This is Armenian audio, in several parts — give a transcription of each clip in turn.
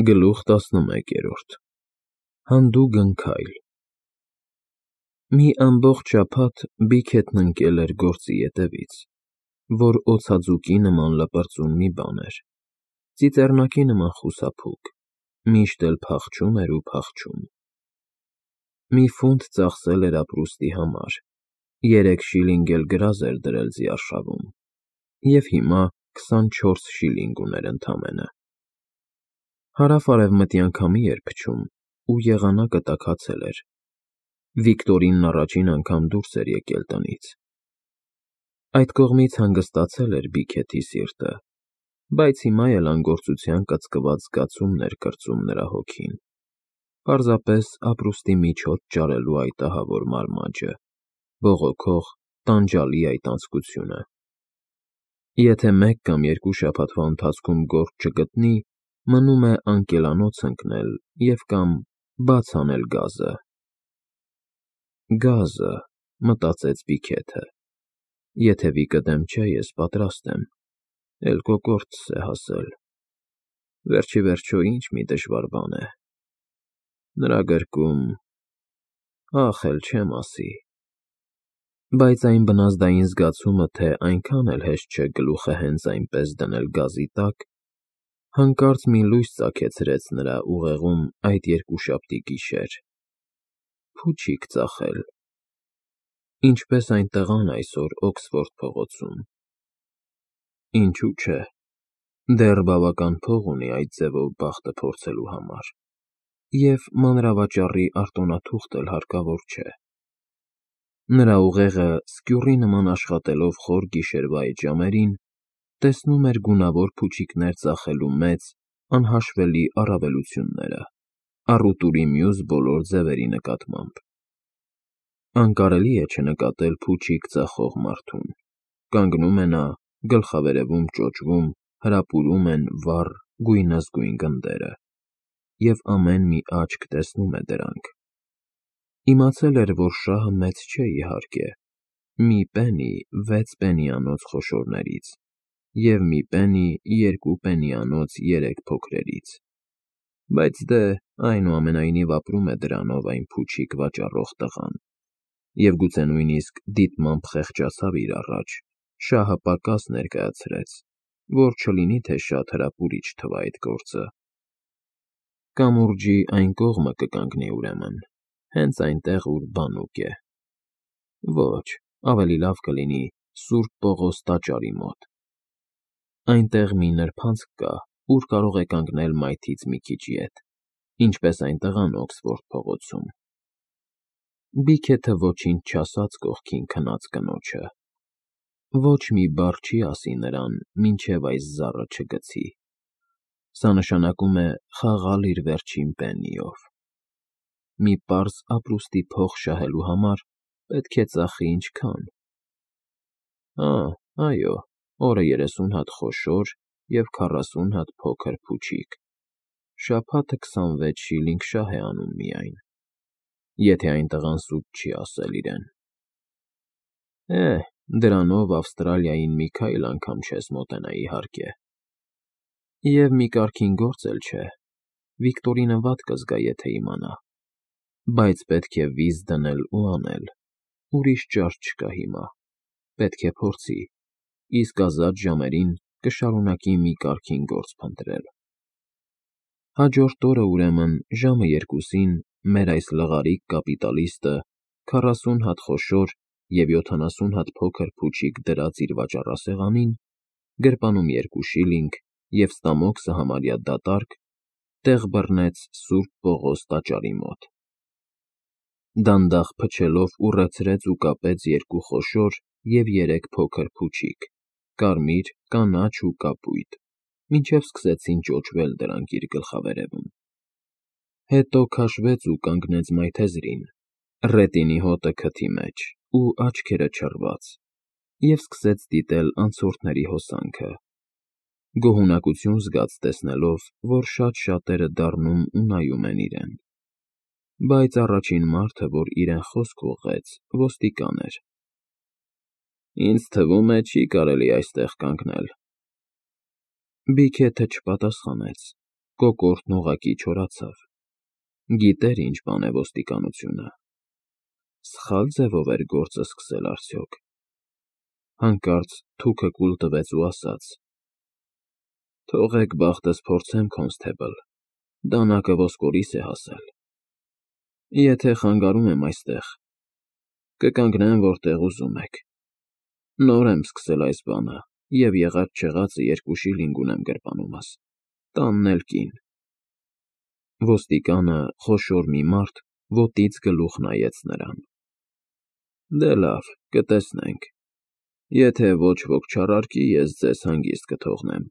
Գլուխ 11 Հանդուգն քայլ Մի ամբողջ շաբաթ Բիքեթն ընկել էր գործի ետևից, որ օձաձուկի նման լպրծուն մի բան էր, ծիծեռնակի նման խուսափուկ, միշտ էլ փախչում էր ու փախչում։ Մի ֆունտ ծախսել էր ապրուստի համար, 3 շիլինգ էլ գրազ էր դրել ձիարշավում, և հիմա 24 շիլինգ ուներ ընդամենը։ Հարավ֊արևմտյան քամի էր փչում ու եղանակը տաքացել էր։ Վիկտորինն առաջին անգամ դուրս էր եկել տնից։ Այդ կողմից հանգստացել էր Բիքեթի սիրտը, բայց հիմա էլ անգործության կծկված զգացումն էր կրծում նրա հոգին, պարզապես ապրուստի միջոց ճարելու այդ ահավոր մարմաճը, բողոքող, տանջալի այդ անձկությունը։ Եթե 1 կամ 2 շաբաթվա ընթացքում գործ չգտնի, մնում է անկելանոց ընկնել և կամ բաց անել գազը։ Գազը, մտածեց Բիքեթը, եթե Վիկը դեմ չէ, ես պատրաստ եմ, էլ կոկորդս է հասել, վերջիվերջո ինչ մի դժվար բան է։ Նրա գրկում, ախ էլ չեմ ասի։ Բայց այն բնազդային զգացումը, թե այնքան էլ հեշտ չէ գլուխը հենց այնպես դնել գազի տակ, հանկարծ մի լույս ծագեցրեց նրա ուղեղում այդ երկուշաբթի գիշեր. փուչիկ ծախել, ինչպես այն տղան այսօր Օքսֆորդ փողոցում։ Ինչու՞ չէ, դեռ բավական փող ունի այդ ձևով բախտը փորձելու համար, և մանրավաճառի արտոնաթուղթ էլ հարկավոր չէ։ Նրա ուղեղը, սկյուռի նման աշխատելով խոր գիշերվա այդ ժամերին, տեսնում էր գունավոր փուչիկներ ծախելու մեծ, անհաշվելի առավելությունները, առուտուրի մյուս բոլոր ձևերի նկատմամբ։ Անկարելի է չնկատել փուչիկ ծախող մարդուն. կանգնում է նա, գլխավերևում ճոճվում, հրապուրում են վառ, գույնզգույն գնդերը, և ամեն մի աչք տեսնում է դրանք։ Իմացել էր, որ շահը մեծ չէ, իհարկե, մի պենի 6 պենիանոց խոշորներից և մի պենի 2 պենիանոց 3 փոքրերից, բայց դե, այնուամենայնիվ ապրում է դրանով այն փուչիկ վաճառող տղան, և գուցե նույնիսկ դիտմամբ խեղճացավ իր առաջ, շահը պակաս ներկայացրեց, որ չլինի թե շատ հրապուրիչ թվա այդ գործը։ Կամուրջի այն կողմը կկանգնի ուրեմն, հենց այնտեղ, ուր բանուկ է։ Ոչ, ավելի լավ կլինի Սուրբ Պողոս տաճարի մոտ։ Այնտեղ մի նրբանցք կա, ուր կարող է կանգնել մայթից մի քիչ ետ, ինչպես այն տղան Օքսֆորդ փողոցում։ Բիքեթը ոչինչ չասաց կողքին քնած կնոջը։ Ոչ մի բառ չի ասի նրան, մինչև այս զառը չգցի։ Սա նշանակում է խաղալ իր վերջին պեննիով։ Մի պարզ ապրուստի փող շահելու համար պետք է ծախի ինչքա՞ն։ Այո, օրը 30 հատ խոշոր և 40 հատ փոքր փուչիկ, շաբաթը 26 շիլինգ շահ է անում միայն, եթե այն տղան սուտ չի ասել իրեն։ Դրանով Ավստրալիային մի քայլ անգամ չես մոտենա, իհարկե։ Եվ մի կարգին գործ էլ չէ, Վիկտորինը վատ կզգա, եթե իմանա, բայց պետք է վիզ դնել ու անել, ուրիշ ճար չկա հիմա, պետք է փորձի, իսկ ազատ ժամերին կշարունակի մի կարգին գործ փնտրել։ Հաջորդ օրը, ուրեմն, ժամը 2-ին մեր այս լղարիկ կապիտալիստը 40 հատ խոշոր և 70 հատ փոքր փուչիկ դրած իր վաճառասեղանին, գրպանում 2 շիլինգ և ստամոքսը համարյա դատարկ, տեղ բռնեց Սուրբ Պողոս տաճարի մոտ։ Դանդաղ փչելով ուռեցրեց ու կապեց 2 խոշոր և 3 փոքր փուչիկ, կարմիր, կանաչ ու կապույտ, մինչև սկսեցին ճոճվել դրանք իր գլխավերևում։ Հետո քաշվեց ու կանգնեց մայթեզրին, ռետինի հոտը քթի մեջ ու աչքերը չռված, և սկսեց դիտել անցորդների հոսանքը, գոհունակություն զգաց տեսնելով, որ շատ շատերը դառնում ու նայում են իրեն։ Բայց առաջին մարդը, որ իրեն խոսք ուղղեց, ոստիկան էր։ Ինձ թվում է, չի կարելի այստեղ կանգնել։ Բիքեթը չպատասխանեց, Կոկորդն ուղղակի չորացավ։ Գիտեր ինչ բան է ոստիկանությունը։ Սխալ ձևով էր գործը սկսել արդյոք։ Հանկարծ թուքը կուլ տվեց ու ասաց. «Թողեք բախտս փորձեմ, կոնստեբլ, դանակը ոսկորիս է հասել։ Եթե խանգարում եմ այստեղ, կկանգնեմ, որտեղ ուզում եք։ Նոր եմ սկսել այս բանը, և եղած-չեղածը 2 շիլինգ ունեմ գրպանումս, տանն էլ կին»։ Ոստիկանը, խոշոր մի մարդ, ոտից գլուխ նայեց նրան։ «Դե լավ, կտեսնենք։ Եթե ոչ ոք չառարկի, ես ձեզ հանգիստ կթողնեմ»։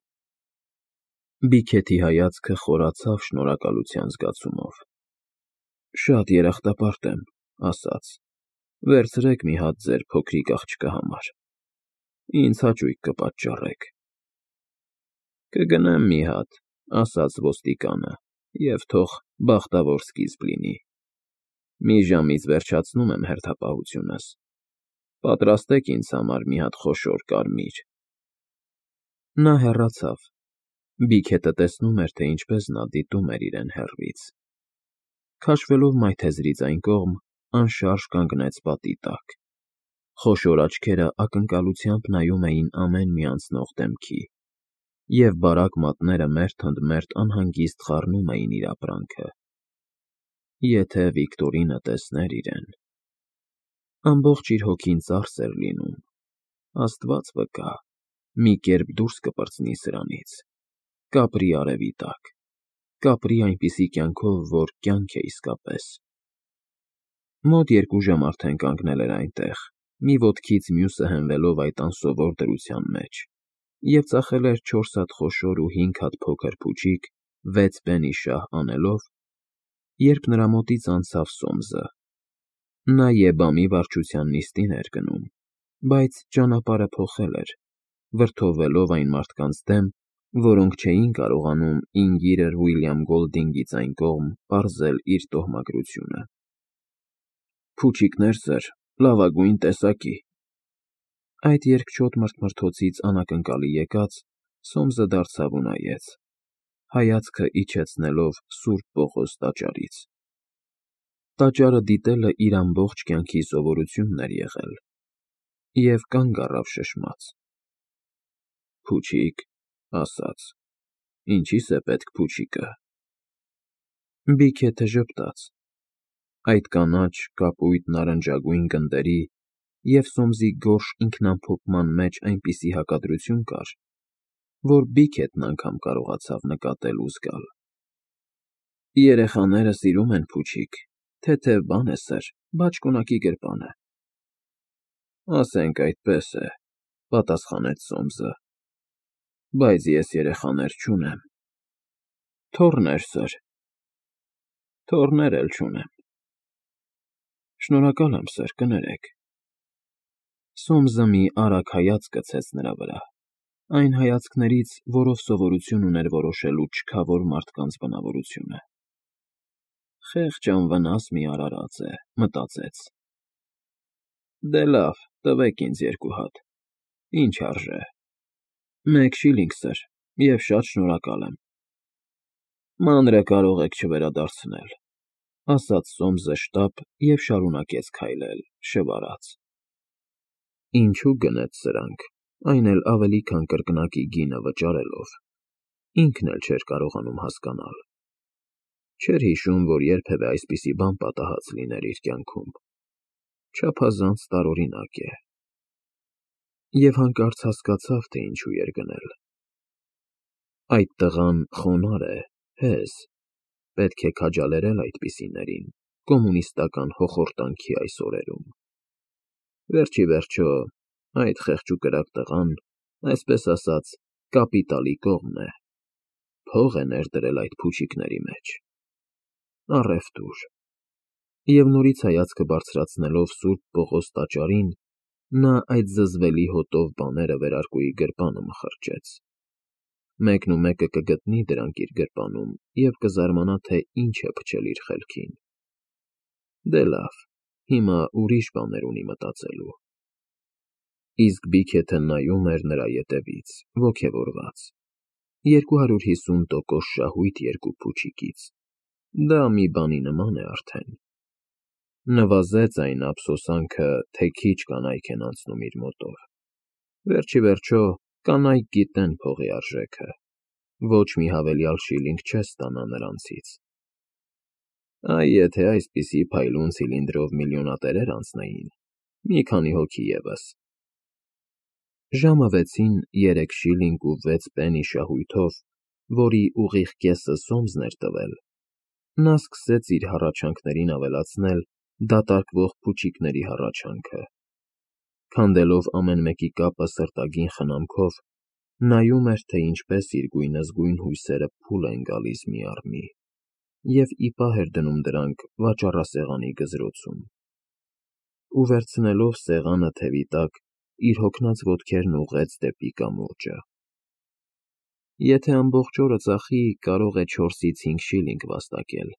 Բիքեթի հայացքը խորացավ շնորհակալության զգացումով։ «Շատ երախտապարտ եմ», ասաց։ «Վերցրեք մի հատ ձեր փոքրիկ աղջկա համար։ Ինձ հաճույք կպատճառեք»։ «Կգնեմ մի հատ», ասաց ոստիկանը, «և թող բախտավոր սկիզբ լինի։ Մի ժամից վերջացնում եմ հերթապահությունս։ Պատրաստեք ինձ համար մի հատ խոշոր կարմիր»։ Նա հեռացավ։ Բիքետը տեսնում էր, թե ինչպես նա դիտում էր իրեն հեռվից։ Քաշվելով մայթեզրից այն կողմ, անշարժ կանգնեց պատի տակ։ Խոշոր աչքերը ակնկալությամբ նայում էին ամեն մի անցնող դեմքի, և բարակ մատները մերթ ընդ մերթ անհանգիստ խառնում էին իր ապրանքը։ Եթե Վիկտորինը տեսներ իրեն… Ամբողջ իր հոգին ծարս էր լինում։ Աստված վկա, մի կերպ դուրս կպրծնի սրանից, կապրի արևի տակ, կապրի այնպիսի կյանքով, որ կյանք է իսկապես։ Մոտ 2 ժամ արդեն կանգնել էր այնտեղ, մի ոտքից մյուսը հենվելով այդ անսովոր դրության մեջ, և ծախել էր 4 հատ խոշոր ու 5 հատ փոքր փուչիկ 6 պենի շահ անելով, երբ նրա մոտից անցավ Սոմսը։ Նա ԵԲԱՄ-ի վարչության նիստին էր գնում, բայց ճանապարհը փոխել էր, վրդովվելով այն մարդկանց դեմ, որոնք չէին կարողանում Ինգիրեր Ուիլյամ Գոլդինգից այն կողմ պարզել իր տոհմակրությունը։ «Փուչիկներ, սըր, լավագույն տեսակի»։ Այդ երկչոտ մրթմրթոցից անակնկալի եկած, Սոմսը դարձավ ու նայեց, հայացքը իջեցնելով Սուրբ Պողոս տաճարից։ Տաճարը դիտելը իր ամբողջ կյանքի սովորությունն էր եղել, և կանգ առավ շշմած։ «Փուչիկ», ասաց։ «Ինչի՞ս է պետք փուչիկը»։ Բիքեթը ժպտաց։ Այդ կանաչ, կապույտ նարնջագույն գնդերի և Սոմսի գորշ ինքնամփոփման մեջ այնպիսի հակադրություն կար, որ Բիքետն անգամ կարողացավ նկատել ու զգալ։ «Երեխաները սիրում են փուչիկ, թեթև բան է, սըր, բաճկոնակի գրպան է»։ «Ասենք այդպես է», պատասխանեց Սոմսը, «բայց ես երեխաներ չունեմ»։ «Թոռներ, սըր»։ «Թոռներ էլ չունեմ»։ «Շնորհակալ եմ, սըր, կներեք»։ Սոմսը մի արագ հայացք գցեց նրա վրա, այն հայացքներից, որով սովորություն ուներ որոշելու չքավոր մարդկանց բնավորությունը։ «Խեղճ անվնաս մի արարած է», մտածեց։ «Դե լավ, տվեք ինձ 2 հատ։ Ինչ արժե»։ «1 շիլինգ, սըր, և շատ շնորհակալ եմ»։ «Մանրը կարող եք չվերադարձնել», ասաց Սոմսը շտապ և շարունակեց քայլել, շվարած։ Ինչու գնեց սրանք, այն էլ ավելի քան կրկնակի գինը վճարելով, ինքն էլ չէր կարողանում հասկանալ։ Չէր հիշում, որ երբևէ այսպիսի բան պատահած լիներ իր կյանքում։ Չափազանց տարօրինակ է։ Եվ հանկարծ հասկացավ, թե ինչու էր գնել։ Այդ տղան խոնարհ է, հեզ, պետք է քաջալերել այդպիսիներին կոմունիստական հոխորտանքի այս օրերում։ Վերջ ի վերջո, այդ խեղճուկրակ տղան, այսպես ասած, կապիտալի կողմն է, փող է ներդրել այդ փուչիկների մեջ։ Առևտուր։ Եվ նորից հայացքը բարձրացնելով Սուրբ Պողոս տաճարին, նա այդ զզվելի հոտով բաները վերարկուի գրպանը մխրճեց։ Մեկնումեկը կգտնի դրանք իր գրպանում և կզարմանա, թե ինչ է փչել իր խելքին։ Դե լավ, հիմա ուրիշ բաներ ունի մտածելու։ Իսկ Բիքեթը նայում էր նրա ետևից, ոգևորված, 250% շահույթ երկու փուչիկից։ Դա մի բանի նման է արդեն։ Նվազեց այն ափսոսանքը, թե քիչ կանայք են անցնում իր մոտով։ Վերջի վերջո, կանայք գիտեն փողի արժեքը։ Ոչ մի հավելյալ շիլինգ չես ստանա նրանցից։ Այ եթե այսպիսի փայլուն ցիլինդրով միլիոնատերեր անցնեին, մի քանի հոգի ևս։ Ժամը 6-ին 3 շիլինգ ու 6 պենի շահույթով, որի ուղիղ կեսը Սոմսն էր տվել, նա սկսեց իր հառաչանքներին ավելացնել դատարկվող փուչիկների հառաչանքը։ Քանդելով ամեն մեկի կապը սրտագին խնամքով, նայում էր, թե ինչպես իր գույնզգույն հույսերը փուլ են գալիս մի առ մի, և ի պահ էր դնում դրանք վաճառասեղանի գզրոցում։ Ու վերցնելով սեղանը թևի տակ, իր հոգնած ոտքերն ուղղեց դեպի կամուրջը։ Եթե ամբողջ օրը ծախի, կարող է 4-ից 5 շիլինգ վաստակել։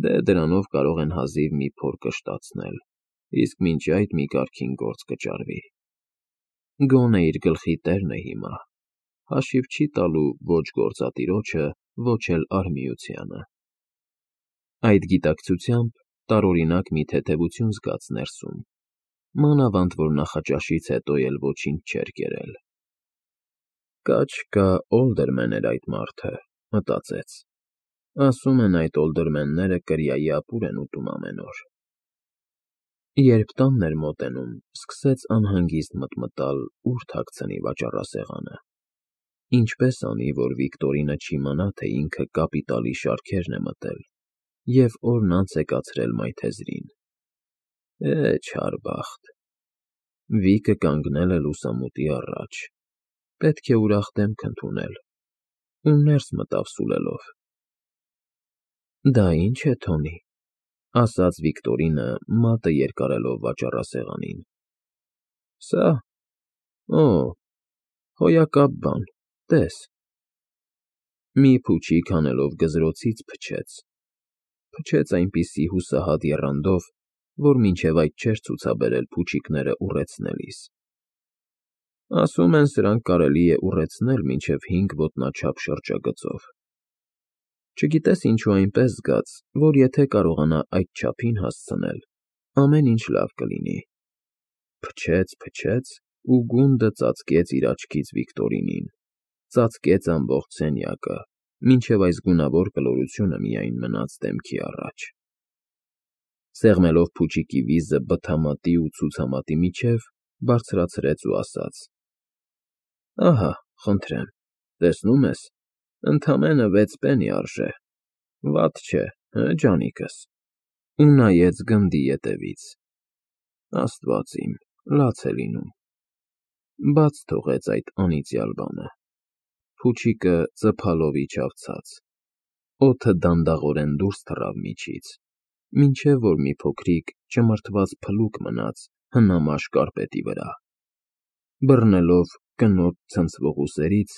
Դե դրանով կարող են հազիվ մի փոր կշտացնել, իսկ մինչ այդ մի կարգին գործ կճարվի։ Գոնե իր գլխի տերն է հիմա, հաշիվ չի տալու ոչ գործատիրոջը, ոչ էլ արհմիությանը։ Այդ գիտակցությամբ տարօրինակ մի թեթևություն զգաց ներսում, մանավանդ որ նախաճաշից հետո էլ ոչինչ չէր կերել։ Կա Օլդերմեն էր այդ մարդը, մտածեց։ Ասում են այդ օլդերմենները կրիայի ապուր են ուտում ամեն օր։ Երբ տանն էր մոտենում, սկսեց անհանգիստ մտմտալ, ուր թաքցնի վաճառասեղանը։ Ինչպես անի, որ Վիկտորինը չիմանա, թե ինքը կապիտալի շարքերն է մտել, և օրն անց է կացրել մայթեզրին։ Չար բախտ։ Վիկը կանգնել է լուսամուտի առաջ։ Պետք է ուրախ դեմք ընդունել։ Ու ներս մտավ սուլելով։ Դա ի՞նչ է, Թոնի, ասաց Վիկտորինը, մատը երկարելով վաճառասեղանին։ Սա։ Օ, հոյակապ բան, տես։ Մի փուչիկ հանելով գզրոցից փչեց այնպիսի հուսահատ եռանդով, որ մինչև այդ չէր ցուցաբերել փուչիկները ուռեցնելիս։ Ասում են, սրանք կարելի է ուռեցնել մինչև 5 ոտնաչափ շրջագծով։ Չգիտես ինչու այնպես զգաց, որ եթե կարողանա այդ չափին հասցնել, ամեն ինչ լավ կլինի։ Փչեց ու գունդը ծածկեց իր աչքից Վիկտորինին, ծածկեց ամբողջ սենյակը, մինչև այս գունավոր կլորությունը միայն մնաց դեմքի առաջ։ Սեղմելով փուչիկի վիզը բթամատի ու ցուցամատի միջև, բարձրացրեց ու ասաց. Ահա, խնդրեմ, տեսնում ես, ընդամենը 6 պենի արժե, վատ չէ, հը, ջանիկս, ու նայեց գնդի ետևից։ Աստված իմ, լաց է լինում։ Բաց թողեց այդ անիծյալ բանը։ Փուչիկը ծփալով իջավ ցած։ Օդը դանդաղորեն դուրս թռավ միջից, մինչև որ մի փոքրիկ ճմրթված փլուկ մնաց հնամաշ կարպետի վրա։ Բռնելով կնոտ ցնցվող ուսերից,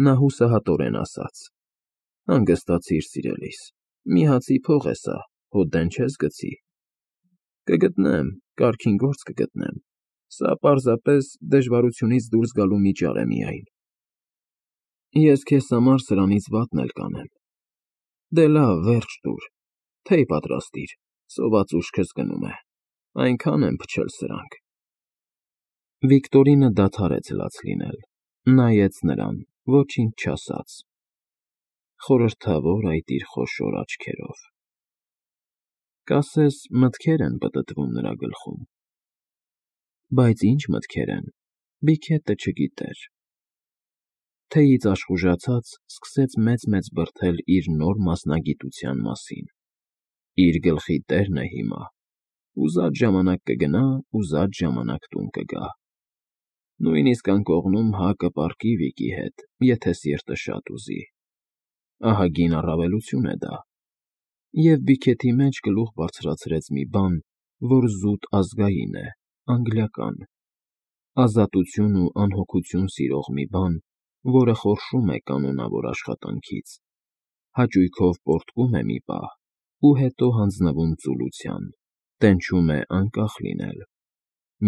նա հուսահատորեն ասաց. Հանգստացիր, սիրելիս, մի հացի փող է սա, հո դեն չես գցի։ Կգտնեմ, կարգին գործ կգտնեմ, սա պարզապես դժվարությունից դուրս գալու միջար է միայն։ Ես քեզ համար սրանից վատն էլ կանեմ։ Դե լավ, վերջ տուր, թեյ պատրաստիր, սոված ուշքս գնում է, այնքան են փչել սրանք։ Վիկտորինը դադարեց լաց լինել, նայեց նրան, ոչինչ չասաց։ Խորհրդավոր այդ իր խոշոր աչքերով։ Կասես մտքեր են պտտվում նրա գլխում։ Բայց ինչ մտքեր են, Բիքետը չգիտեր։ Թեյից աշխուժացած, սկսեց մեծ-մեծ բրդել իր նոր մասնագիտության մասին։ Իր գլխի տերն է հիմա։ Ուզած ժամանակ կգնա, ուզած ժամանակ տուն կգա։ Նույնիսկ անկողնում կպառկի Վիկի հետ, եթե սիրտը շատ ուզի։ Ահագին առավելություն է դա։ Եվ Բիքեթի մեջ գլուխ բարձրացրեց մի բան, որ զուտ ազգային է, անգլիական։ Ազատություն ու անհոգություն սիրող մի բան, որը խորշում է կանոնավոր աշխատանքից, հաճույքով պոռթկում է մի պահ ու հետո հանձնվում ծուլության, տենչում է անկախ լինել։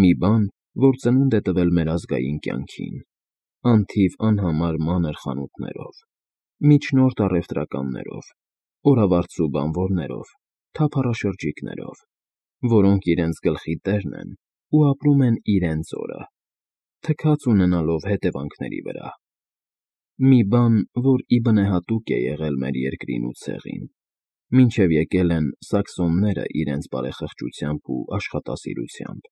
Մի բան, որ ծնունդ է տվել մեր ազգային կյանքին, անթիվ անհամար մանր խանութներով, միջնորդ առևտրականներով, օրավարձու բանվորներով, թափառաշրջիկներով, որոնք իրենց գլխի տերն են ու ապրում են իրենց օրը, թքած ունենալով հետևանքների վրա։ Մի բան, որ ի բնեհատուկ է եղել մեր երկրին ու ցեղին, մինչև եկել են սաքսոնները իրենց բարեխղճությամբ ու աշխատասիրությամբ,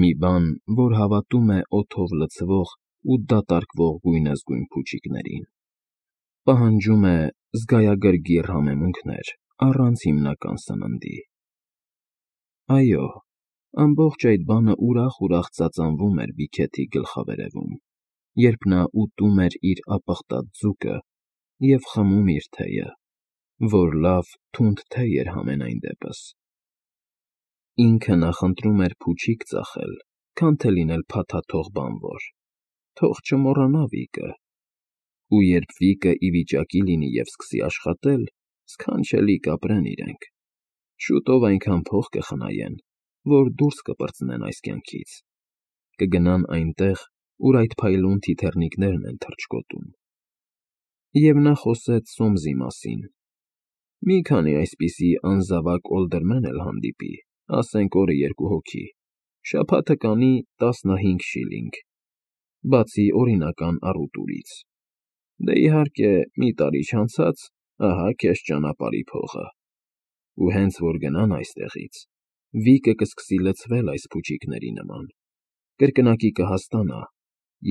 մի բան, որ հավատում է օդով լցվող ու դատարկվող գույնզգույն փուչիկներին, պահանջում է զգայագրգիռ համեմունքներ առանց հիմնական սննդի։ Այո, ամբողջ այդ բանը ուրախ ծածանվում էր Բիքեթի գլխավերևում, երբ նա ուտում էր իր ապխտած ձուկը և խմում իր թեյը, որ լավ, թունդ թեյ էր համենայն դեպս։ Ինքը նախընտրում էր փուչիկ ծախել, քան թե լինել փաթաթող բանվոր, թող չմոռանա Վիկը, ու երբ Վիկը ի վիճակի լինի և սկսի աշխատել, սքանչելի կապրեն իրենք, շուտով այնքան փող կխնայեն, որ դուրս կպրծնեն այս կյանքից, կգնան այնտեղ, ուր այդ փայլուն թիթեռնիկներն են թռչկոտում։ Եվ նա խոսեց Սոմսի մասին. մի քանի այսպիսի անզավակ օլդերմեն էլ հանդիպի, ասենք օրը 2 հոգի, շաբաթը կանի 15 շիլինգ, բացի օրինական առուտուրից։ Դե իհարկե, մի տարի չանցած, ահա քեզ ճանապարհի փողը։ Ու հենց որ գնան այստեղից, Վիկը կսկսի լցվել այս փուչիկների նման, կրկնակի կհասկանա,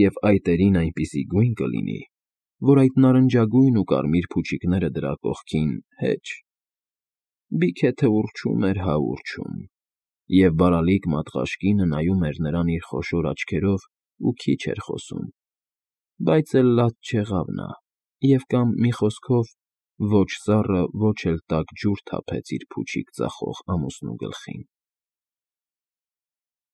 և այտերին այնպիսի գույն կլինի, որ այդ նարնջագույն ու կարմիր փուչիկները դրա կողքին հեչ։ Բիքեթը ուռչում էր հա ուռչում, և բարալիկ մատղաշկինը նայում էր նրան իր խոշոր աչքերով ու քիչ էր խոսում, բայց էլ լաց չեղավ նա և կամ, մի խոսքով, ոչ սառը, ոչ էլ տաք ջուր թափեց իր փուչիկ ծախող ամուսնու գլխին։